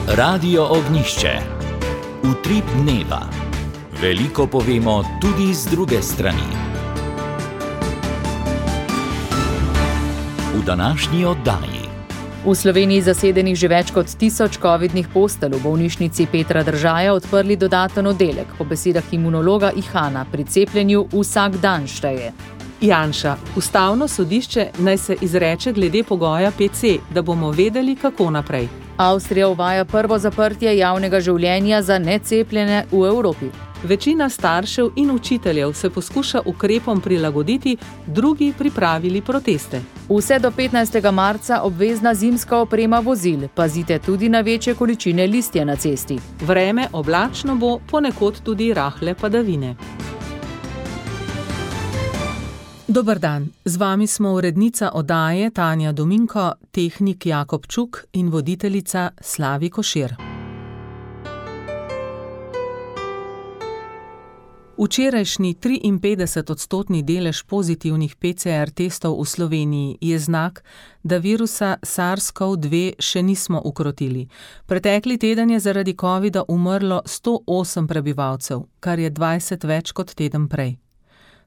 Radio Ognjišče. Utrip dneva. Veliko povemo tudi z druge strani. V današnji oddaji. V Sloveniji zasedenih že več kot 1000 covidnih postelj, v bolnišnici Petra Držaja odprli dodaten oddelek. Po besedah imunologa Ihana pri cepljenju vsak dan šteje. Janša, ustavno sodišče naj se izreče glede pogoja PC, da bomo vedeli, kako naprej. Avstrija uvaja prvo zaprtje javnega življenja za necepljene v Evropi. Večina staršev in učiteljev se poskuša ukrepom prilagoditi, drugi pripravili proteste. Vse do 15. marca obvezna zimska oprema vozil. Pazite tudi na večje količine listja na cesti. Vreme oblačno bo, ponekod tudi rahle padavine. Dober dan, z vami smo urednica oddaje Tanja Dominko, tehnik Jakob Čuk in voditeljica Slavi Košir. Včerajšnji 53% delež pozitivnih PCR testov v Sloveniji je znak, da virusa SARS-CoV-2 še nismo ukrotili. Pretekli teden je zaradi covida umrlo 108 prebivalcev, kar je 20 več kot teden prej.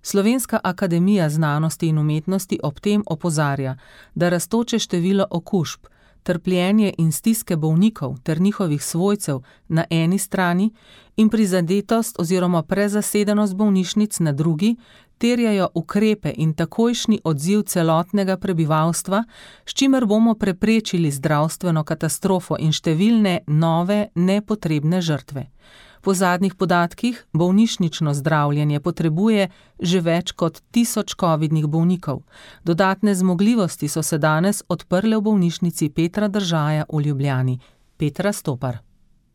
Slovenska akademija znanosti in umetnosti ob tem opozarja, da rastoče število okužb, trpljenje in stiske bolnikov ter njihovih svojcev na eni strani in prizadetost oziroma prezasedenost bolnišnic na drugi terjajo ukrepe in takojšnji odziv celotnega prebivalstva, s čimer bomo preprečili zdravstveno katastrofo in številne nove nepotrebne žrtve. Po zadnjih podatkih bolnišnično zdravljenje potrebuje že več kot 1000 covidnih bolnikov. Dodatne zmogljivosti so se danes odprle v bolnišnici Petra Držaja v Ljubljani. Petra Stopar.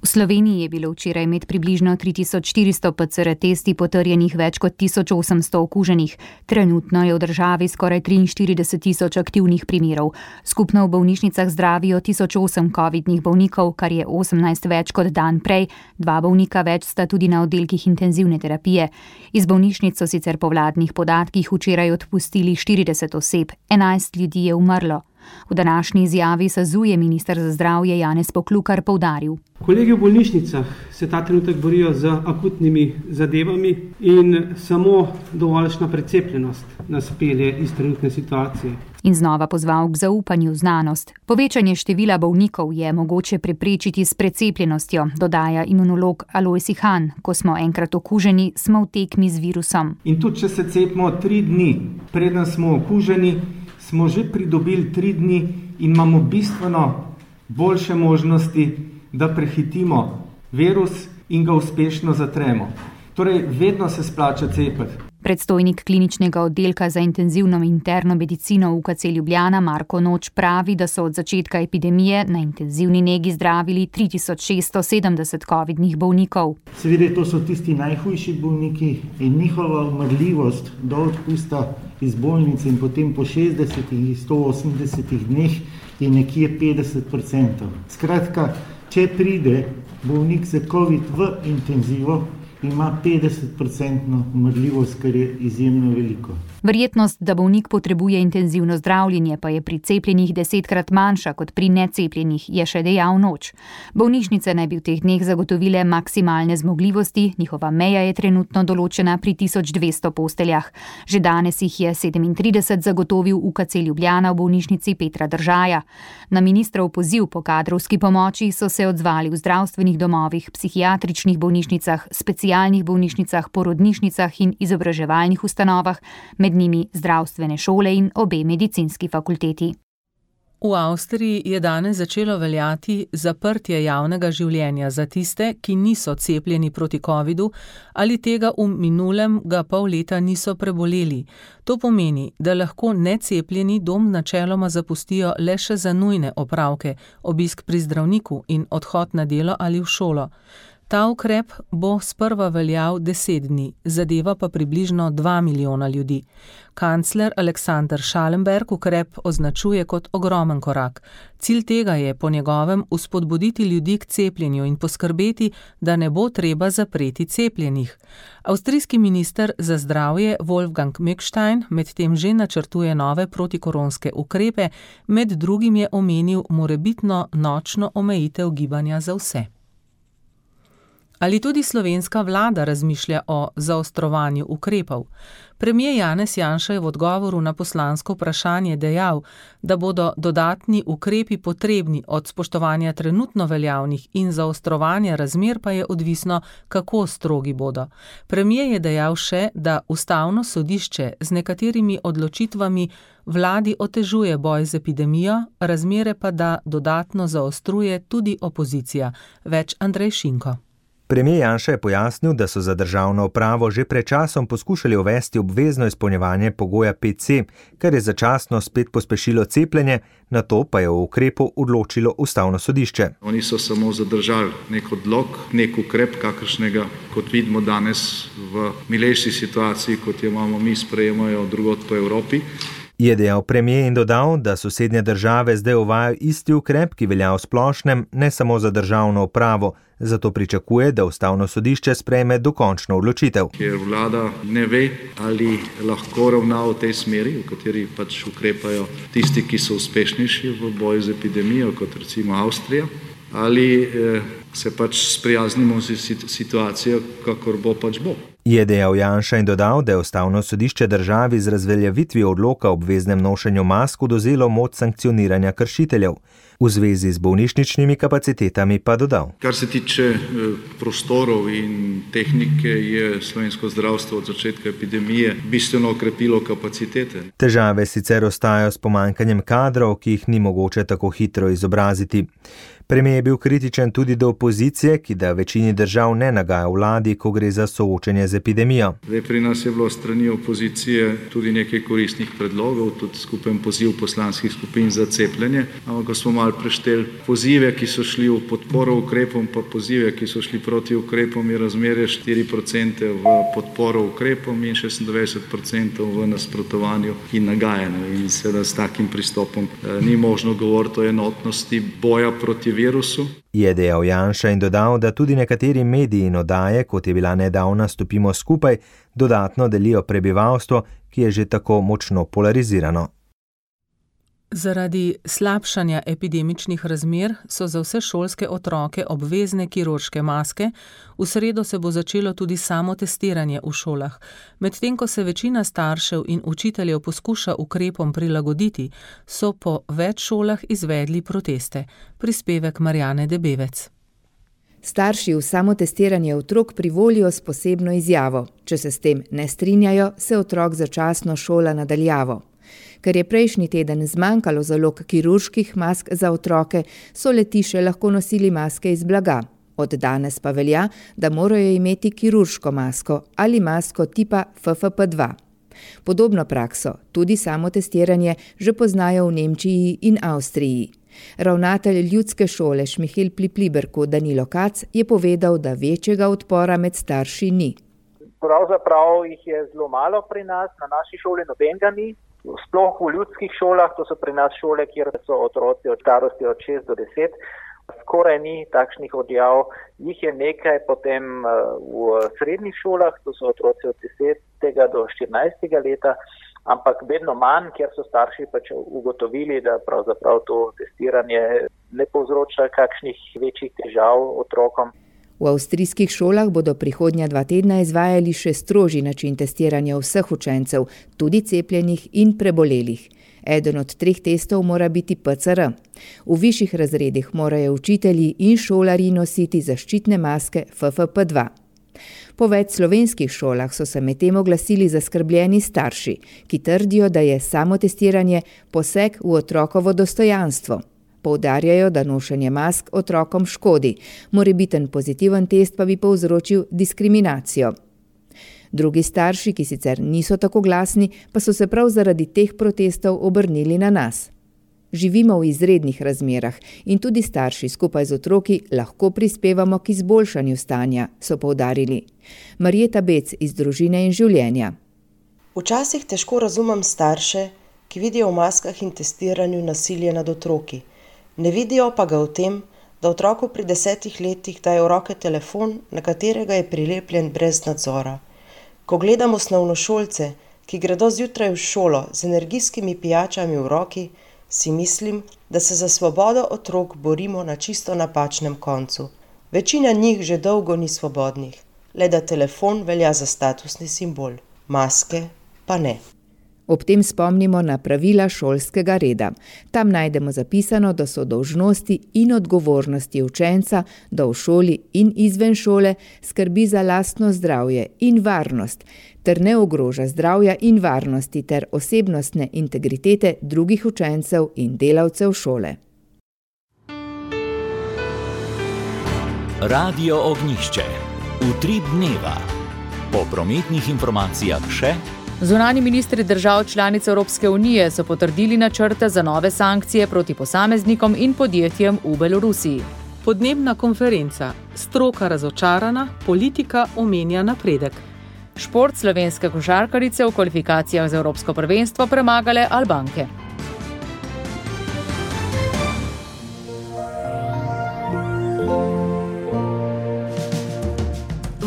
V Sloveniji je bilo včeraj med približno 3400 PCR testi potrjenih več kot 1800 okuženih. Trenutno je v državi skoraj 43 000 aktivnih primerov. Skupno v bolnišnicah zdravijo 1008 covidnih bolnikov, kar je 18 več kot dan prej. 2 bolnika več sta tudi na oddelkih intenzivne terapije. Iz bolnišnic so sicer po vladnih podatkih včeraj odpustili 40 oseb, 11 ljudi je umrlo. V današnji izjavi SAZU je minister za zdravje Janez Poklukar poudaril. Kolegi v bolnišnicah se ta trenutek borijo z akutnimi zadevami in samo dovoljšna precepljenost nas pelje iz trenutne situacije. In znova pozval k zaupanju v znanost. Povečanje števila bolnikov je mogoče preprečiti s precepljenostjo, dodaja imunolog Alojz Ihan. Ko smo enkrat okuženi, smo v tekmi z virusom. In tudi, če se cepimo 3 dni, preden smo okuženi, smo že pridobili 3 dni in imamo bistveno boljše možnosti, da prehitimo virus in ga uspešno zatremo. Torej, vedno se splača cepiti. Predstojnik kliničnega oddelka za intenzivno interno medicino UKC Ljubljana Marko Noč pravi, da so od začetka epidemije na intenzivni negi zdravili 3670 covidnih bolnikov. Seveda to so tisti najhujši bolniki in njihova umrljivost do odpusta iz bolnice in potem po 60 in 180 dneh je nekje 50%. Skratka, če pride bolnik za covid v intenzivo, ima 50% umrljivost, kar je izjemno veliko. Verjetnost, da bolnik potrebuje intenzivno zdravljenje, pa je pri cepljenih 10-krat manjša kot pri necepljenih, je še dejal Noč. Bolnišnice naj bi v teh dneh zagotovile maksimalne zmogljivosti, njihova meja je trenutno določena pri 1200 posteljah. Že danes jih je 37 zagotovil UKC Ljubljana v bolnišnici Petra Držaja. Na ministrov poziv po kadrovski pomoči so se odzvali v zdravstvenih domovih, psihiatričnih bolnišnicah, specialnih bolnišnicah, porodnišnicah in izobraževalnih ustanovah, med njimi zdravstvene šole in obe medicinski fakulteti. V Avstriji je danes začelo veljati zaprtje javnega življenja za tiste, ki niso cepljeni proti covidu ali tega v minulega pol leta niso preboleli. To pomeni, da lahko necepljeni dom načeloma zapustijo le še za nujne opravke, obisk pri zdravniku in odhod na delo ali v šolo. Ta ukrep bo sprva veljal 10 dni, zadeva pa približno 2 milijona ljudi. Kancler Aleksander Schallenberg ukrep označuje kot ogromen korak. Cilj tega je po njegovem vzpodbuditi ljudi k cepljenju in poskrbeti, da ne bo treba zapreti cepljenih. Avstrijski minister za zdravje Wolfgang Mückstein medtem že načrtuje nove protikoronske ukrepe, med drugim je omenil morebitno nočno omejitev gibanja za vse. Ali tudi slovenska vlada razmišlja o zaostrovanju ukrepov? Premier Janez Janša je v odgovoru na poslansko vprašanje dejal, da bodo dodatni ukrepi potrebni, od spoštovanja trenutno veljavnih in zaostrovanja razmer pa je odvisno, kako strogi bodo. Premier je dejal še, da Ustavno sodišče z nekaterimi odločitvami vladi otežuje boj z epidemijo, razmere pa da dodatno zaostruje tudi opozicija. Več Andrej Šinko. Premier Janša je pojasnil, da so za državno upravo že pred časom poskušali uvesti obvezno izpolnjevanje pogoja 5C, kar je začasno spet pospešilo cepljenje, nato pa je o ukrepu odločilo Ustavno sodišče. Oni so samo zadržali nek odlok, nek ukrep, kakršnega, kot vidimo danes v milejši situaciji, kot jo imamo mi, sprejemajo drugod po Evropi. Je dejal premier in dodal, da sosednje države zdaj uvajajo isti ukrep, ki velja v splošnem, ne samo za državno upravo, zato pričakuje, da Ustavno sodišče sprejme dokončno odločitev. Ker vlada ne ve, ali lahko ravna v tej smeri, v kateri pač ukrepajo tisti, ki so uspešnejši v boju z epidemijo, kot recimo Avstrija, ali se pač sprijaznimo z situacijo, kakor bo pač bo. Je dejal Janša in dodal, da je Ustavno sodišče državi z razveljavitvijo odloka o obveznem nošenju mask odvzelo moč sankcioniranja kršiteljev. V zvezi z bolnišničnimi kapacitetami pa dodal. Kar se tiče prostorov in tehnike, je slovensko zdravstvo od začetka epidemije bistveno okrepilo kapacitete. Težave sicer ostajajo s pomanjkanjem kadrov, ki jih ni mogoče tako hitro izobraziti. Premier je bil kritičen tudi do opozicije, ki da večini držav ne nagaja vladi, ko gre za soočenje z epidemijo. Pri nas je bilo strani opozicije tudi nekaj koristnih predlogov, tudi skupen poziv poslanskih skupin za cepljenje, ampak ko smo malo prešteli pozive, ki so šli v podporo ukrepom, pa pozive, ki so šli proti ukrepom, je razmerje 4% v podporo ukrepom in 26% v nasprotovanju in nagajanju. In seveda s takim pristopom ni možno govoriti o enotnosti boja proti virusu. Je dejal Janša in dodal, da tudi nekateri mediji in oddaje, kot je bila nedavna Stopimo skupaj, dodatno delijo prebivalstvo, ki je že tako močno polarizirano. Zaradi slabšanja epidemičnih razmer so za vse šolske otroke obvezne kirurške maske, v sredo se bo začelo tudi samo testiranje v šolah. Medtem ko se večina staršev in učiteljev poskuša ukrepom prilagoditi, so po več šolah izvedli proteste. Prispevek Marjane Debevec. Starši v samotestiranje otrok privolijo s posebno izjavo. Če se s tem ne strinjajo, se otrok začasno šola nadaljavo. Ker je prejšnji teden zmanjkalo zalog kirurških mask za otroke, so letiše lahko nosili maske iz blaga. Od danes pa velja, da morajo imeti kirurško masko ali masko tipa FFP2. Podobno prakso, tudi samotestiranje, že poznajo v Nemčiji in Avstriji. Ravnatelj ljudske šole Šmihel Pliberku Danilo Kac je povedal, da večjega odpora med starši ni. Pravzaprav jih je zelo malo pri nas, na naši šoli nobenega ni. Sploh v ljudskih šolah, to so pri nas šole, kjer so otroci od starosti od 6 do 10, skoraj ni takšnih odjav. Jih je nekaj potem v srednjih šolah, to so otroci od 10. do 14. leta, ampak vedno manj, ker so starši pač ugotovili, da pravzaprav to testiranje ne povzroča kakšnih večjih težav otrokom. V avstrijskih šolah bodo prihodnja 2 tedna izvajali še strožji način testiranja vseh učencev, tudi cepljenih in prebolelih. Eden od 3 testov mora biti PCR. V višjih razredih morajo učitelji in šolarji nositi zaščitne maske FFP2. Po več slovenskih šolah so se medtem oglasili zaskrbljeni starši, ki trdijo, da je samotestiranje poseg v otrokovo dostojanstvo. Poudarjajo, da nošenje mask otrokom škodi, morebiten pozitiven test pa bi povzročil diskriminacijo. Drugi starši, ki sicer niso tako glasni, pa so se prav zaradi teh protestov obrnili na nas. Živimo v izrednih razmerah in tudi starši skupaj z otroki lahko prispevamo k izboljšanju stanja, so poudarili. Marjeta Bec iz Družine in življenja. Včasih težko razumem starše, ki vidijo v maskah in testiranju nasilje nad otroki. Ne vidijo pa ga v tem, da otroku pri 10 letih daje v roke telefon, na katerega je prilepljen brez nadzora. Ko gledam osnovnošolce, ki gredo zjutraj v šolo z energijskimi pijačami v roki, si mislim, da se za svobodo otrok borimo na čisto napačnem koncu. Večina njih že dolgo ni svobodnih, le da telefon velja za statusni simbol, maske pa ne. Ob tem spomnimo na pravila šolskega reda. Tam najdemo zapisano, da so dolžnosti in odgovornosti učenca, da v šoli in izven šole skrbi za lastno zdravje in varnost, ter ne ogroža zdravja in varnosti ter osebnostne integritete drugih učencev in delavcev šole. Radio Ognjišče. Utrip dneva. Po prometnih informacijah še. Zunanji ministri držav članic Evropske unije so potrdili načrte za nove sankcije proti posameznikom in podjetjem v Belorusiji. Podnebna konferenca. Stroka razočarana, politika omenja napredek. Šport, slovenske košarkarice v kvalifikacijah za Evropsko prvenstvo premagale Albanke.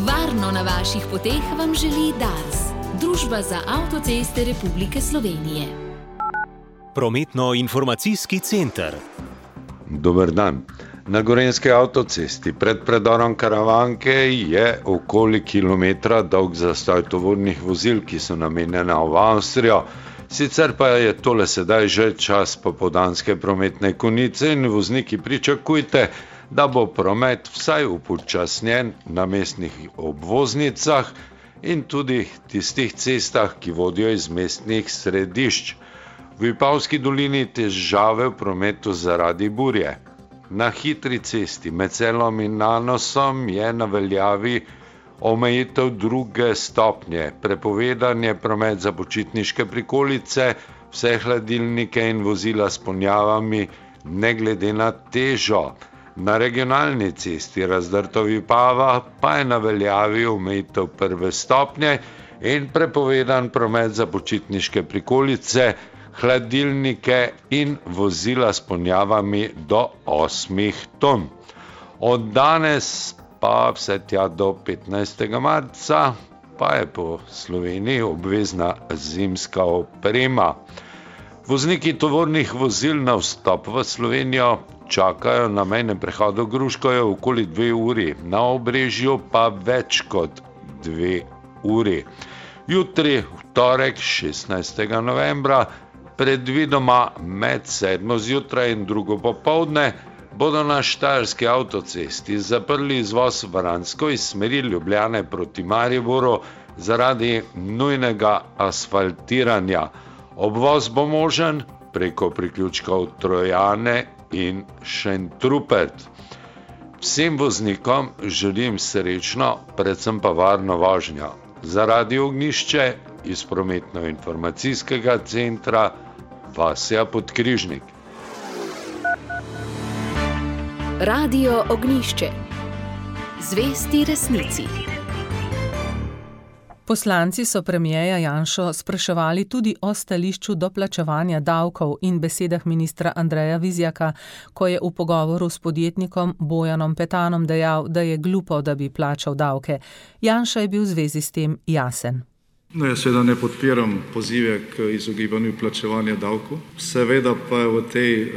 Varno na vaših poteh vam želi Dars. Družba za avtoceste Republike Slovenije. Prometno-informacijski center. Dober dan. Na Gorenjski avtocesti pred predorom Karavanke je okoli kilometra dolg zastoj tovornih vozil, ki so namenjena v Avstrijo. Sicer pa je tole sedaj že čas popoldanske prometne konice in vozniki pričakujte, da bo promet vsaj upočasnjen na mestnih obvoznicah in tudi tistih cestah, ki vodijo iz mestnih središč. V Vipavski dolini težave v prometu zaradi burje. Na hitri cesti med Celom in Nanosom je na veljavi omejitev 2. stopnje. Prepovedan je promet za počitniške prikolice, vse hladilnike in vozila s ponjavami, ne glede na težo. Na regionalni cesti Razdrto-Vipava pa je na veljavi omejitev 1. stopnje in prepovedan promet za počitniške prikolice, hladilnike in vozila s ponjavami do 8 ton. Od danes pa vse tja do 15. marca pa je po Sloveniji obvezna zimska oprema. Vozniki tovornih vozil na vstop v Slovenijo čakajo na mejnem prehodu Gruškovje okoli 2 uri, na Obrežju pa več kot 2 uri. Jutri, v torek, 16. novembra, predvidoma med 7. zjutraj in 2. popoldne, bodo na Štajerski avtocesti zaprli izvoz v Vransko iz smeri Ljubljane proti Mariboru zaradi nujnega asfaltiranja. Obvoz bo možen preko priključkov Trojane in Šentrupert. Vsem voznikom želim srečno, predvsem pa varno vožnjo. Za Radio Ognjišče iz prometno-informacijskega centra Vasja Podkrižnik. Radio Ognjišče. Zvesti resnici. Poslanci so premierja Janšo spraševali tudi o stališču do plačevanja davkov in besedah ministra Andreja Vizjaka, ko je v pogovoru s podjetnikom Bojanom Petanom dejal, da je glupo, da bi plačal davke. Janša je bil v zvezi s tem jasen. No, jaz seveda ne podpiram pozive k izogibanju plačevanja davkov. Seveda pa v tej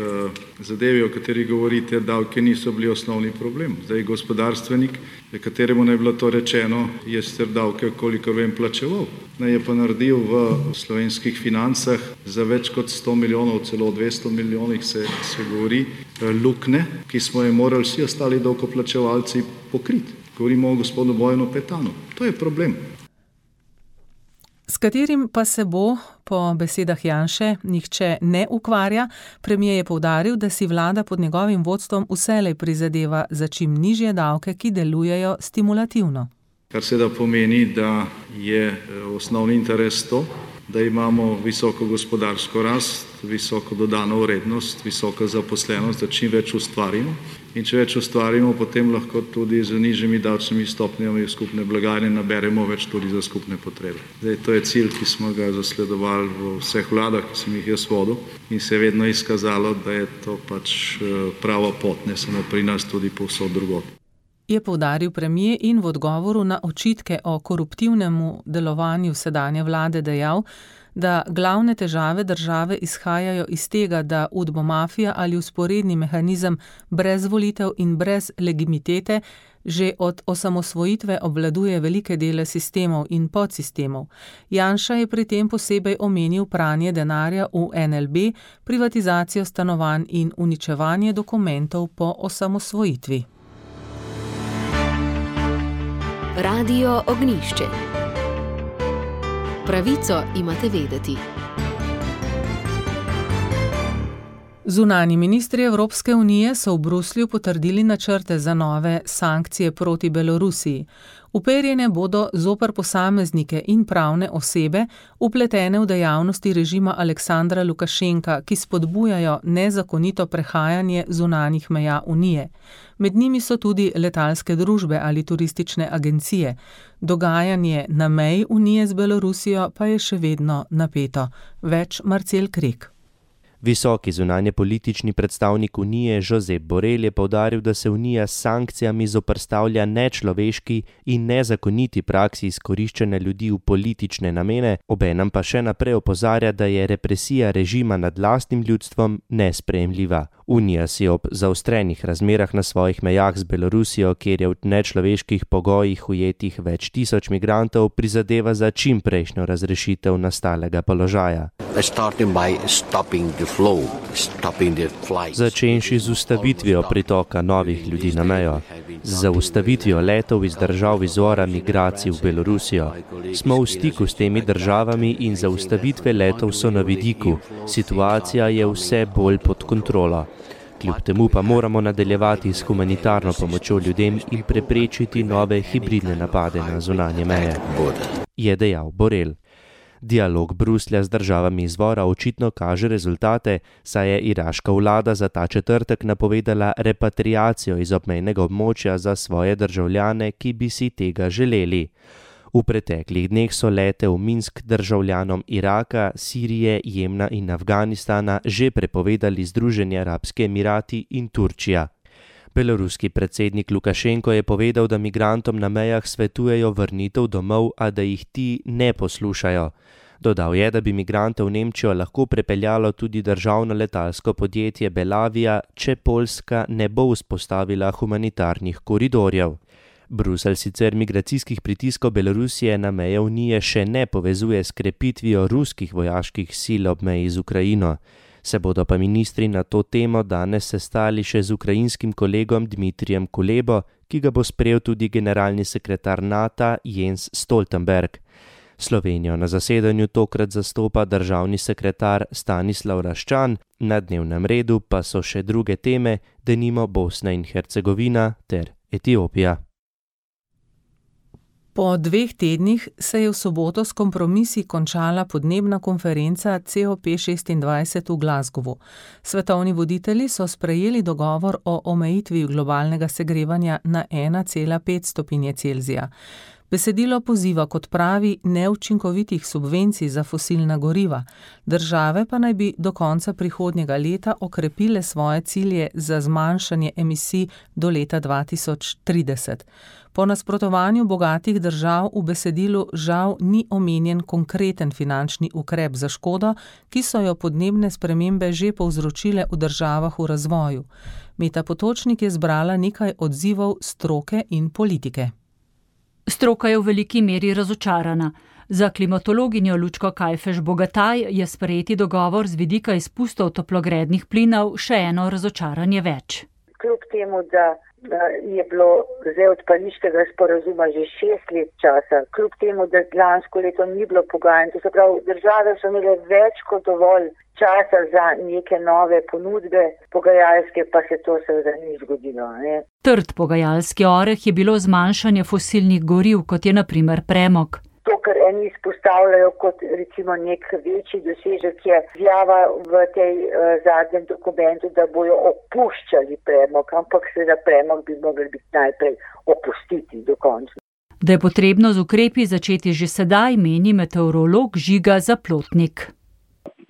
zadevi, o kateri govorite, davke niso bili osnovni problem. Zdaj gospodarstvenik, kateremu ne je bilo to rečeno, je sicer davke, kolikor vem, plačeval. Je pa naredil v slovenskih financah za več kot 100 milijonov, celo 200 milijonih se govori, lukne, ki smo je morali vsi ostali davkoplačevalci pokriti. Govorimo o gospodu Bojanu Petanu. To je problem. S katerim pa se bo, po besedah Janše, nihče ne ukvarja. Premier je poudaril, da si vlada pod njegovim vodstvom vselej prizadeva za čim nižje davke, ki delujejo stimulativno. Kar seveda pomeni, da je osnovni interes to, da imamo visoko gospodarsko rast, visoko dodano vrednost, visoko zaposlenost, da čim več ustvarimo. In če več ustvarimo, potem lahko tudi z nižjimi davčnimi stopnjami v skupne blagajne naberemo več tudi za skupne potrebe. Zdaj, to je cilj, ki smo ga zasledovali v vseh vladah, ki sem jih jaz vodil, in se je vedno izkazalo, da je to pač prava pot, ne samo pri nas, tudi povsod drugod. Je poudaril premier in v odgovoru na očitke o koruptivnemu delovanju sedanje vlade dejal, da glavne težave države izhajajo iz tega, da udbomafija ali vzporedni mehanizem brez volitev in brez legitimitete že od osamosvojitve obvladuje velike dele sistemov in podsistemov. Janša je pri tem posebej omenil pranje denarja v NLB, privatizacijo stanovanj in uničevanje dokumentov po osamosvojitvi. Radio Ognjišče. Pravico imate vedeti. Zunanji ministri Evropske unije so v Bruslju potrdili načrte za nove sankcije proti Belorusiji. Uperjene bodo zoper posameznike in pravne osebe, vpletene v dejavnosti režima Aleksandra Lukašenka, ki spodbujajo nezakonito prehajanje zunanjih meja Unije. Med njimi so tudi letalske družbe ali turistične agencije. Dogajanje na meji Unije z Belorusijo pa je še vedno napeto. Več Marcel Krek. Visoki zunanjepolitični predstavnik Unije Josep Borrell je poudaril, da se Unija s sankcijami zoperstavlja nečloveški in nezakoniti praksi izkoriščanja ljudi v politične namene, obenem pa še naprej opozarja, da je represija režima nad lastnim ljudstvom nesprejemljiva. Unija si ob zaostrenih razmerah na svojih mejah z Belorusijo, kjer je v nečloveških pogojih ujetih več tisoč migrantov, prizadeva za čimprejšnjo razrešitev nastalega položaja. Začenši z ustavitvijo pritoka novih ljudi na mejo, z zaustavitvijo letov iz držav izvora migracij v Belorusijo. Smo v stiku s temi državami in zaustavitve letov so na vidiku. Situacija je vse bolj pod kontrolo. Kljub temu pa moramo nadaljevati s humanitarno pomočjo ljudem in preprečiti nove hibridne napade na zunanje meje, je dejal Borrell. Dialog Bruslja z državami izvora očitno kaže rezultate, saj je iraška vlada za ta četrtek napovedala repatriacijo iz obmejnega območja za svoje državljane, ki bi si tega želeli. V preteklih dneh so lete v Minsk državljanom Iraka, Sirije, Jemna in Afganistana že prepovedali Združeni arabski emirati in Turčija. Beloruski predsednik Lukašenko je povedal, da migrantom na mejah svetujejo vrnitev domov, a da jih ti ne poslušajo. Dodal je, da bi migrante v Nemčijo lahko prepeljalo tudi državno letalsko podjetje Belavia, če Poljska ne bo vzpostavila humanitarnih koridorjev. Bruselj sicer migracijskih pritiskov Belorusije na meje Unije še ne povezuje s krepitvijo ruskih vojaških sil ob meji z Ukrajino. Se bodo pa ministri na to temo danes sestali še z ukrajinskim kolegom Dmitrijem Kulebo, ki ga bo sprejel tudi generalni sekretar NATO Jens Stoltenberg. Slovenijo na zasedanju tokrat zastopa državni sekretar Stanislav Raščan, na dnevnem redu pa so še druge teme, denimo Bosna in Hercegovina ter Etiopija. Po 2 tednih se je v soboto s kompromisi končala podnebna konferenca COP26 v Glasgowu. Svetovni voditelji so sprejeli dogovor o omejitvi globalnega segrevanja na 1,5 stopinje Celzija. Besedilo poziva k odpravi neučinkovitih subvencij za fosilna goriva. Države pa naj bi do konca prihodnjega leta okrepile svoje cilje za zmanjšanje emisij do leta 2030. Po nasprotovanju bogatih držav v besedilu žal ni omenjen konkreten finančni ukrep za škodo, ki so jo podnebne spremembe že povzročile v državah v razvoju. Meta Potočnik je zbrala nekaj odzivov stroke in politike. Stroka je v veliki meri razočarana. Za klimatologinjo Lučko Kajfež Bogataj je sprejeti dogovor z vidika izpustov toplogrednih plinov še eno razočaranje več. Kljub temu, da je bilo zdaj od pariškega sporazuma že 6 let časa, kljub temu, da lansko leto ni bilo pogajanj, to se pravi, države so imele več kot dovolj časa za neke nove ponudbe, pogajalske pa se to seveda ni zgodilo. Ne? Trd pogajalski oreh je bilo zmanjšanje fosilnih goriv, kot je na primer premog. To, kar eni izpostavljajo kot recimo nek večji dosežek, je izjava v tej zadnjem dokumentu, da bojo opuščali premog, ampak seveda premog bi mogli biti najprej opustiti do konca. Da je potrebno z ukrepi začeti že sedaj, meni meteorolog Žiga Zaplotnik.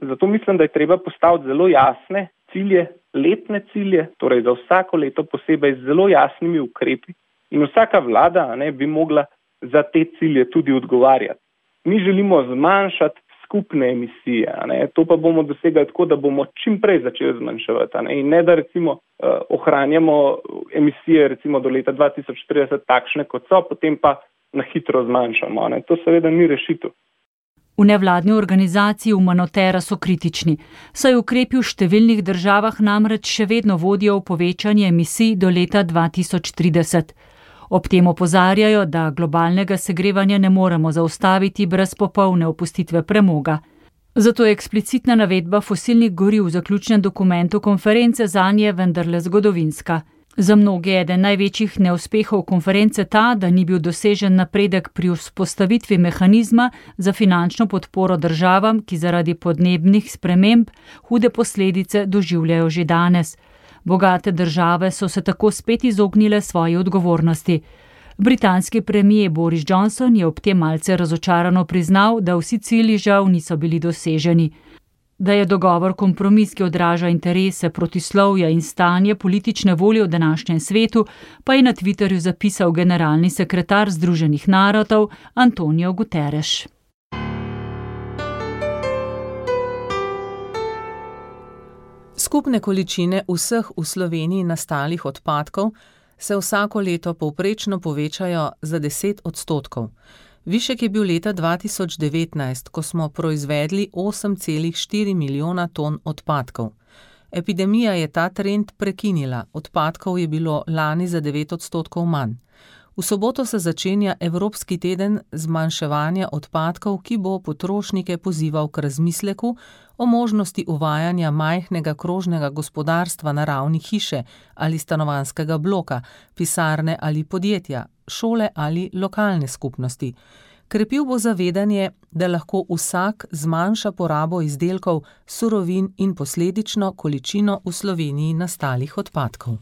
Zato mislim, da je treba postaviti zelo jasne cilje, letne cilje, torej za vsako leto posebej z zelo jasnimi ukrepi in vsaka vlada bi mogla za te cilje tudi odgovarjati. Mi želimo zmanjšati skupne emisije, to pa bomo dosegali tako, da bomo čim prej začeli zmanjševati. In ne da recimo ohranjamo emisije recimo do leta 2030 takšne, kot so, potem pa na hitro zmanjšamo. To seveda ni rešitev. V nevladni organizaciji Umanotera so kritični, saj ukrepi v številnih državah namreč še vedno vodijo v povečanje emisij do leta 2030. Ob tem opozarjajo, da globalnega segrevanja ne moremo zaustaviti brez popolne opustitve premoga. Zato je eksplicitna navedba fosilnih goriv v zaključnem dokumentu konference zanje vendarle zgodovinska. Za mnoge je eden največjih neuspehov konference ta, da ni bil dosežen napredek pri vzpostavitvi mehanizma za finančno podporo državam, ki zaradi podnebnih sprememb hude posledice doživljajo že danes. Bogate države so se tako spet izognile svoji odgovornosti. Britanski premier Boris Johnson je ob tem malce razočarano priznal, da vsi cilji žal niso bili doseženi. Da je dogovor kompromis, ki odraža interese, protislovja in stanje politične volje v današnjem svetu, pa je na Twitterju zapisal generalni sekretar Združenih narodov Antonio Guterres. Skupne količine vseh v Sloveniji nastalih odpadkov se vsako leto povprečno povečajo za 10%. Višek je bil leta 2019, ko smo proizvedli 8,4 milijona ton odpadkov. Epidemija je ta trend prekinila, odpadkov je bilo lani za 9% manj. V soboto se začenja Evropski teden zmanjševanja odpadkov, ki bo potrošnike pozival k razmisleku o možnosti uvajanja majhnega krožnega gospodarstva na ravni hiše ali stanovanjskega bloka, pisarne ali podjetja, šole ali lokalne skupnosti. Krepil bo zavedanje, da lahko vsak zmanjša porabo izdelkov, surovin in posledično količino v Sloveniji nastalih odpadkov.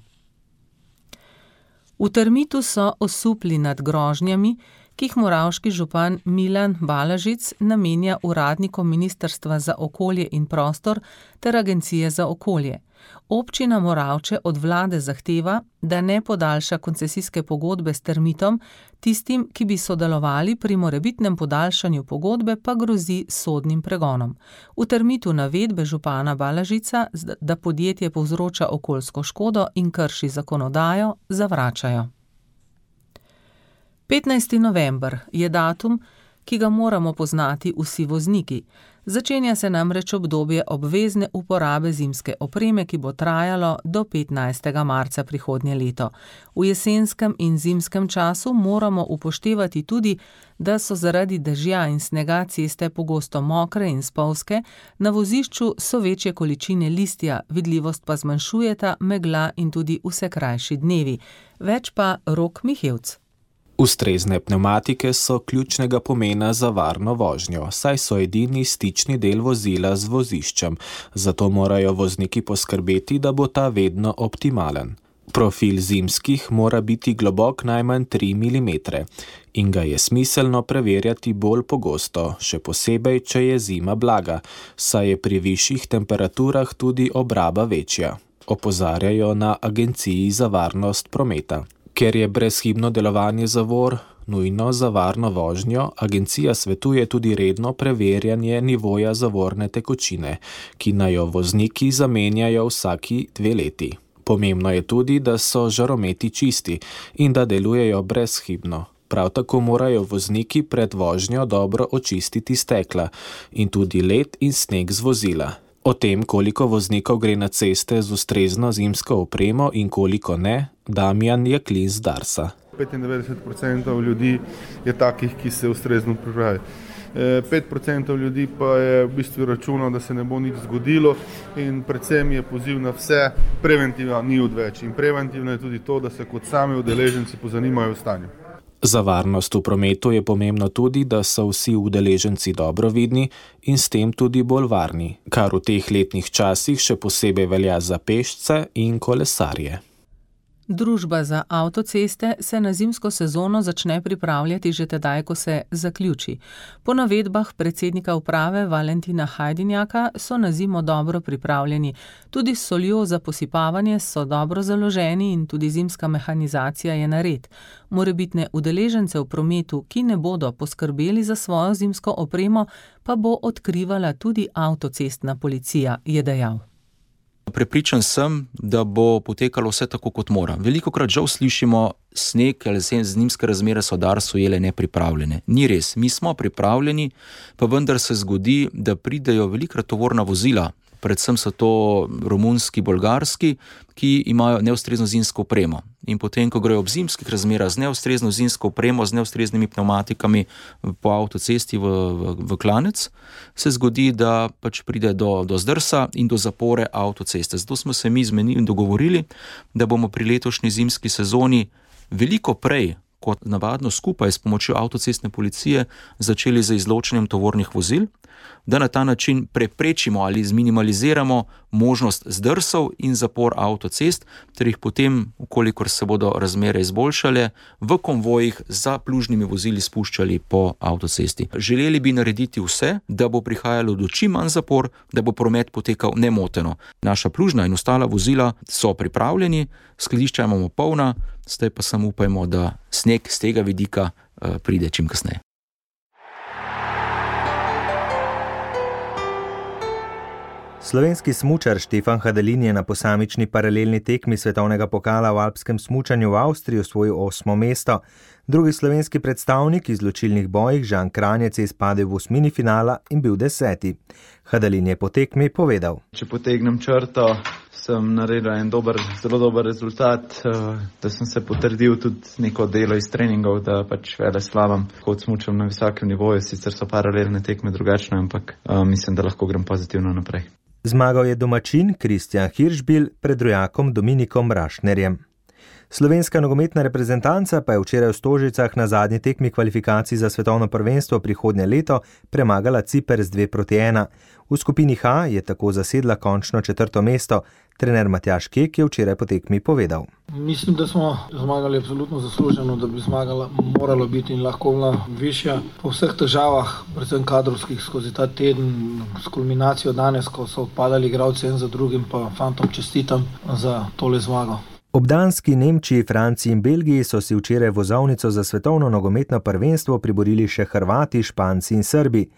V Termitu so osupli nad grožnjami, ki jih moravški župan Milan Balažic namenja uradnikom Ministrstva za okolje in prostor ter Agencije za okolje. Občina Moravče od vlade zahteva, da ne podaljša koncesijske pogodbe s Termitom, tistim, ki bi sodelovali pri morebitnem podaljšanju pogodbe, pa grozi sodnim pregonom. V Termitu navedbe župana Balažica, da podjetje povzroča okoljsko škodo in krši zakonodajo, zavračajo. 15. november je datum, ki ga moramo poznati vsi vozniki. Začenja se namreč obdobje obvezne uporabe zimske opreme, ki bo trajalo do 15. marca prihodnje leto. V jesenskem in zimskem času moramo upoštevati tudi, da so zaradi dežja in snega ceste pogosto mokre in spolzke, na vozišču so večje količine listja, vidljivost pa zmanjšujeta megla in tudi vse krajši dnevi. Več pa Rok Mihevc. Ustrezne pnevmatike so ključnega pomena za varno vožnjo, saj so edini stični del vozila z voziščem, zato morajo vozniki poskrbeti, da bo ta vedno optimalen. Profil zimskih mora biti globok najmanj 3 mm in ga je smiselno preverjati bolj pogosto, še posebej, če je zima blaga, saj je pri višjih temperaturah tudi obraba večja, opozarjajo na Agenciji za varnost prometa. Ker je brezhibno delovanje zavor nujno za varno vožnjo, agencija svetuje tudi redno preverjanje nivoja zavorne tekočine, ki naj jo vozniki zamenjajo vsaki 2 leti. Pomembno je tudi, da so žarometi čisti in da delujejo brezhibno. Prav tako morajo vozniki pred vožnjo dobro očistiti stekla in tudi led in sneg z vozila. O tem, koliko voznikov gre na ceste z ustrezno zimsko opremo in koliko ne, Damjan Jaklin z Darsa. 95% ljudi je takih, ki se ustrezno pripravi. 5% ljudi pa je v bistvu računal, da se ne bo nič zgodilo in predvsem je poziv na vse, preventiva ni odveč. In preventivno je tudi to, da se kot sami udeleženci pozanimajo o stanju. Za varnost v prometu je pomembno tudi, da so vsi udeleženci dobro vidni in s tem tudi bolj varni, kar v teh letnih časih še posebej velja za pešce in kolesarje. Družba za avtoceste se na zimsko sezono začne pripravljati že tedaj, ko se zaključi. Po navedbah predsednika uprave Valentina Hajdinjaka so na zimo dobro pripravljeni. Tudi s soljo za posipavanje so dobro založeni in tudi zimska mehanizacija je nared. Morebitne udeležence v prometu, ki ne bodo poskrbeli za svojo zimsko opremo, pa bo odkrivala tudi avtocestna policija, je dejal. Prepričan sem, da bo potekalo vse tako, kot mora. Velikokrat žal slišimo, sneg ali zimske razmere so Dars ujele nepripravljene. Ni res, mi smo pripravljeni, pa vendar se zgodi, da pridejo velikokrat tovorna vozila, predvsem so to romunski, bolgarski, ki imajo neustrezno zimsko opremo. In potem, ko grejo ob zimskih razmerah z neustrezno zimsko opremo, z neustreznimi pneumatikami po avtocesti v klanec, se zgodi, da pač pride do zdrsa in do zapore avtoceste. Zato smo se mi zmenili in dogovorili, da bomo pri letošnji zimski sezoni veliko prej kot navadno skupaj s pomočjo avtocestne policije začeli z izločanjem tovornih vozil, da na ta način preprečimo ali zminimaliziramo možnost zdrsov in zapor avtocest, ter jih potem, ukolikor se bodo razmere izboljšale, v konvojih za plužnimi vozili spuščali po avtocesti. Želeli bi narediti vse, da bo prihajalo do čim manj zapor, da bo promet potekal nemoteno. Naša plužna in ostala vozila so pripravljeni, skladišča imamo polna, zdaj pa samo upajmo, da sneg z tega vidika pride čim kasneje. Slovenski smučar Štefan Hadelin je na posamični paralelni tekmi svetovnega pokala v alpskem smučanju v Avstriji osvojil 8. mesto. Drugi slovenski predstavnik iz ločilnih bojih Žan Kranjec je izpadel v osmini finala in bil 10. Hadelin je po tekmi povedal: Če potegnem črto, sem naredil en zelo dober rezultat, da sem se potrdil tudi neko delo iz treningov, da pač veleslavam, kot smučam na visokem nivoju, sicer so paralelne tekme drugačne, ampak mislim, da lahko grem pozitivno naprej. Zmagal je domačin Kristjan Hiršbil pred rojakom Dominikom Rašnerjem. Slovenska nogometna reprezentanca pa je včeraj v Stožicah na zadnji tekmi kvalifikacij za svetovno prvenstvo prihodnje leto premagala Ciper z 2-1. V skupini H je tako zasedla končno 4. mesto. Trener Matjaž Kek je včeraj po tekmi povedal: Mislim, da smo zmagali absolutno zasluženo, da bi zmagala moralo biti in lahko bila višja. Po vseh težavah, predvsem kadrovskih, skozi ta teden, s kulminacijo danes, ko so odpadali igralci en za drugim, pa fantom čestitam za tole zmago. Ob Danski, Nemčiji, Franciji in Belgiji so si včeraj vozovnico za svetovno nogometno prvenstvo priborili še Hrvati, Španci in Srbi.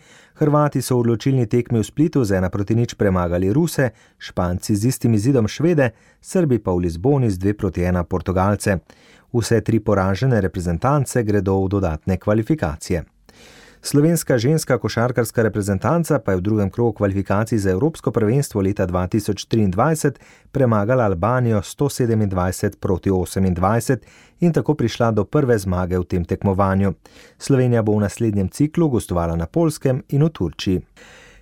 Hrvati so v odločilni tekmi v Splitu z 1-0 premagali Ruse, Španci z istim izidom Švede, Srbi pa v Lizboni z 2-1 Portugalce. Vse 3 poražene reprezentance gredo v dodatne kvalifikacije. Slovenska ženska košarkarska reprezentanca pa je v drugem krogu kvalifikacij za Evropsko prvenstvo leta 2023 premagala Albanijo 127-28 in tako prišla do prve zmage v tem tekmovanju. Slovenija bo v naslednjem ciklu gostovala na Poljskem in v Turčiji.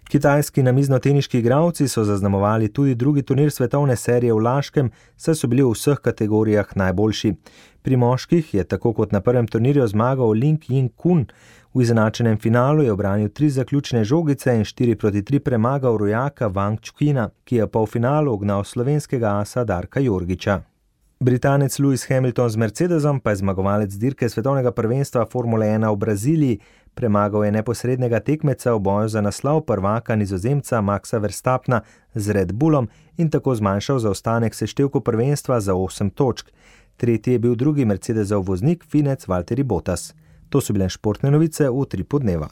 Kitajski namiznoteniški igralci so zaznamovali tudi drugi turnir svetovne serije v Laškem, saj so bili v vseh kategorijah najboljši. Pri moških je tako kot na prvem turnirju zmagal Ling Ying-kun. V izenačenem finalu je obranil 3 zaključne žogice in 4-3 premagal rojaka Wang Chukina, ki je v polfinalu ugnal slovenskega asa Darka Jorgiča. Britanec Lewis Hamilton z Mercedesom pa je zmagovalec dirke svetovnega prvenstva Formule 1 v Braziliji. Premagal je neposrednega tekmeca v boju za naslov prvaka Nizozemca Maxa Verstappna z Red Bullom in tako zmanjšal zaostanek seštevku prvenstva za 8 točk. Tretji je bil drugi Mercedesov voznik Finec Valtteri Bottas. To so bile športne novice v Utripu dneva.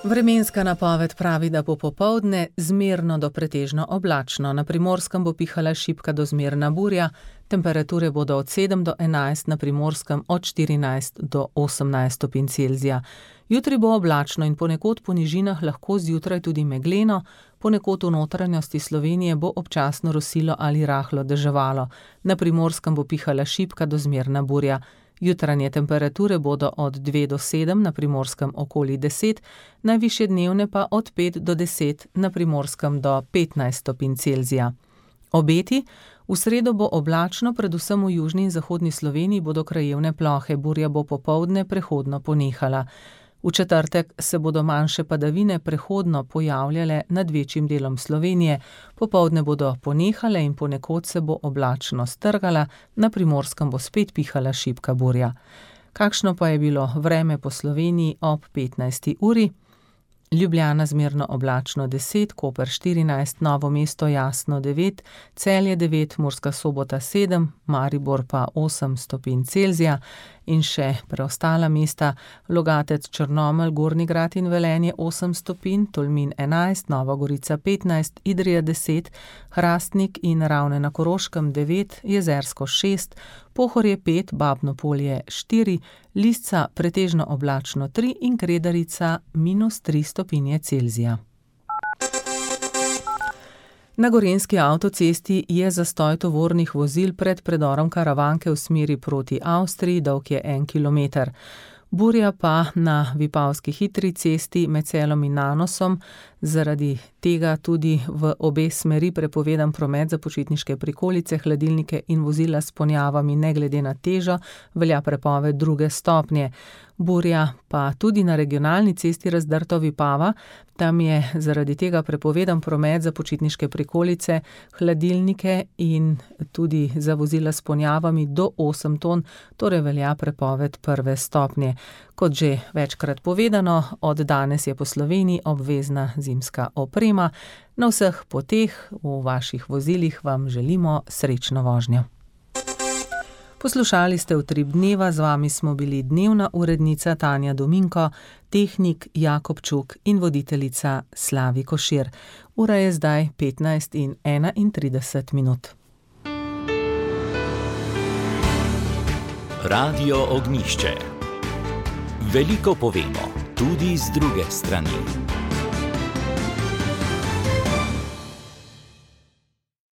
Vremenska napoved pravi, da bo popoldne zmerno do pretežno oblačno. Na Primorskem bo pihala šibka do zmerna burja, temperature bodo od 7 do 11, na Primorskem od 14 do 18 stopinj Celzija. Jutri bo oblačno in ponekod po nižinah lahko zjutraj tudi megleno, ponekod v notranjosti Slovenije bo občasno rosilo ali rahlo deževalo. Na Primorskem bo pihala šibka do zmerna burja. Jutranje temperature bodo od 2 do 7, na Primorskem okoli 10, najvišje dnevne pa od 5 do 10, na Primorskem do 15 stopinj Celzija. Obeti: v sredo bo oblačno, predvsem v južni in zahodni Sloveniji bodo krajevne plohe, burja bo popoldne prehodno ponehala. V četrtek se bodo manjše padavine prehodno pojavljale nad večjim delom Slovenije, popoldne bodo ponehale in ponekod se bo oblačno strgala, na Primorskem bo spet pihala šibka burja. Kakšno pa je bilo vreme po Sloveniji ob 15. uri? Ljubljana zmerno oblačno 10, Koper 14, Novo mesto jasno 9, Celje 9, Murska Sobota 7, Maribor pa 8 stopinj Celzija in še preostala mesta: Logatec, Črnomelj, Gornji Grad in Velenje 8 stopinj, Tolmin 11, Nova Gorica 15, Idrija 10, Hrastnik in Ravne na Koroškem 9, Jezersko 6, Pohorje 5, Babno Polje 4, Lisca pretežno oblačno 3 in Kredarica -3 stopinje Celzija. Na Gorenjski avtocesti je zastoj tovornih vozil pred predorom Karavanke v smeri proti Avstriji, dolg je 1 kilometer. Burja pa na Vipavski hitri cesti med Celom in Nanosom, zaradi tega tudi v obe smeri prepovedan promet za počitniške prikolice, hladilnike in vozila s ponjavami ne glede na težo, velja prepoved 2. stopnje. Burja pa tudi na regionalni cesti Razdrto-Vipava, tam je zaradi tega prepovedan promet za počitniške prikolice, hladilnike in tudi za vozila s ponjavami do 8 ton, torej velja prepoved 1. stopnje. Kot že večkrat povedano, od danes je po Sloveniji obvezna zimska oprema. Na vseh poteh v vaših vozilih vam želimo srečno vožnjo. Poslušali ste Utrip dneva, z vami smo bili dnevna urednica Tanja Dominko, tehnik Jakob Čuk in voditeljica Slavi Košir. Ura je zdaj 15:31. Radio Ognjišče. Veliko povemo, tudi z druge strani.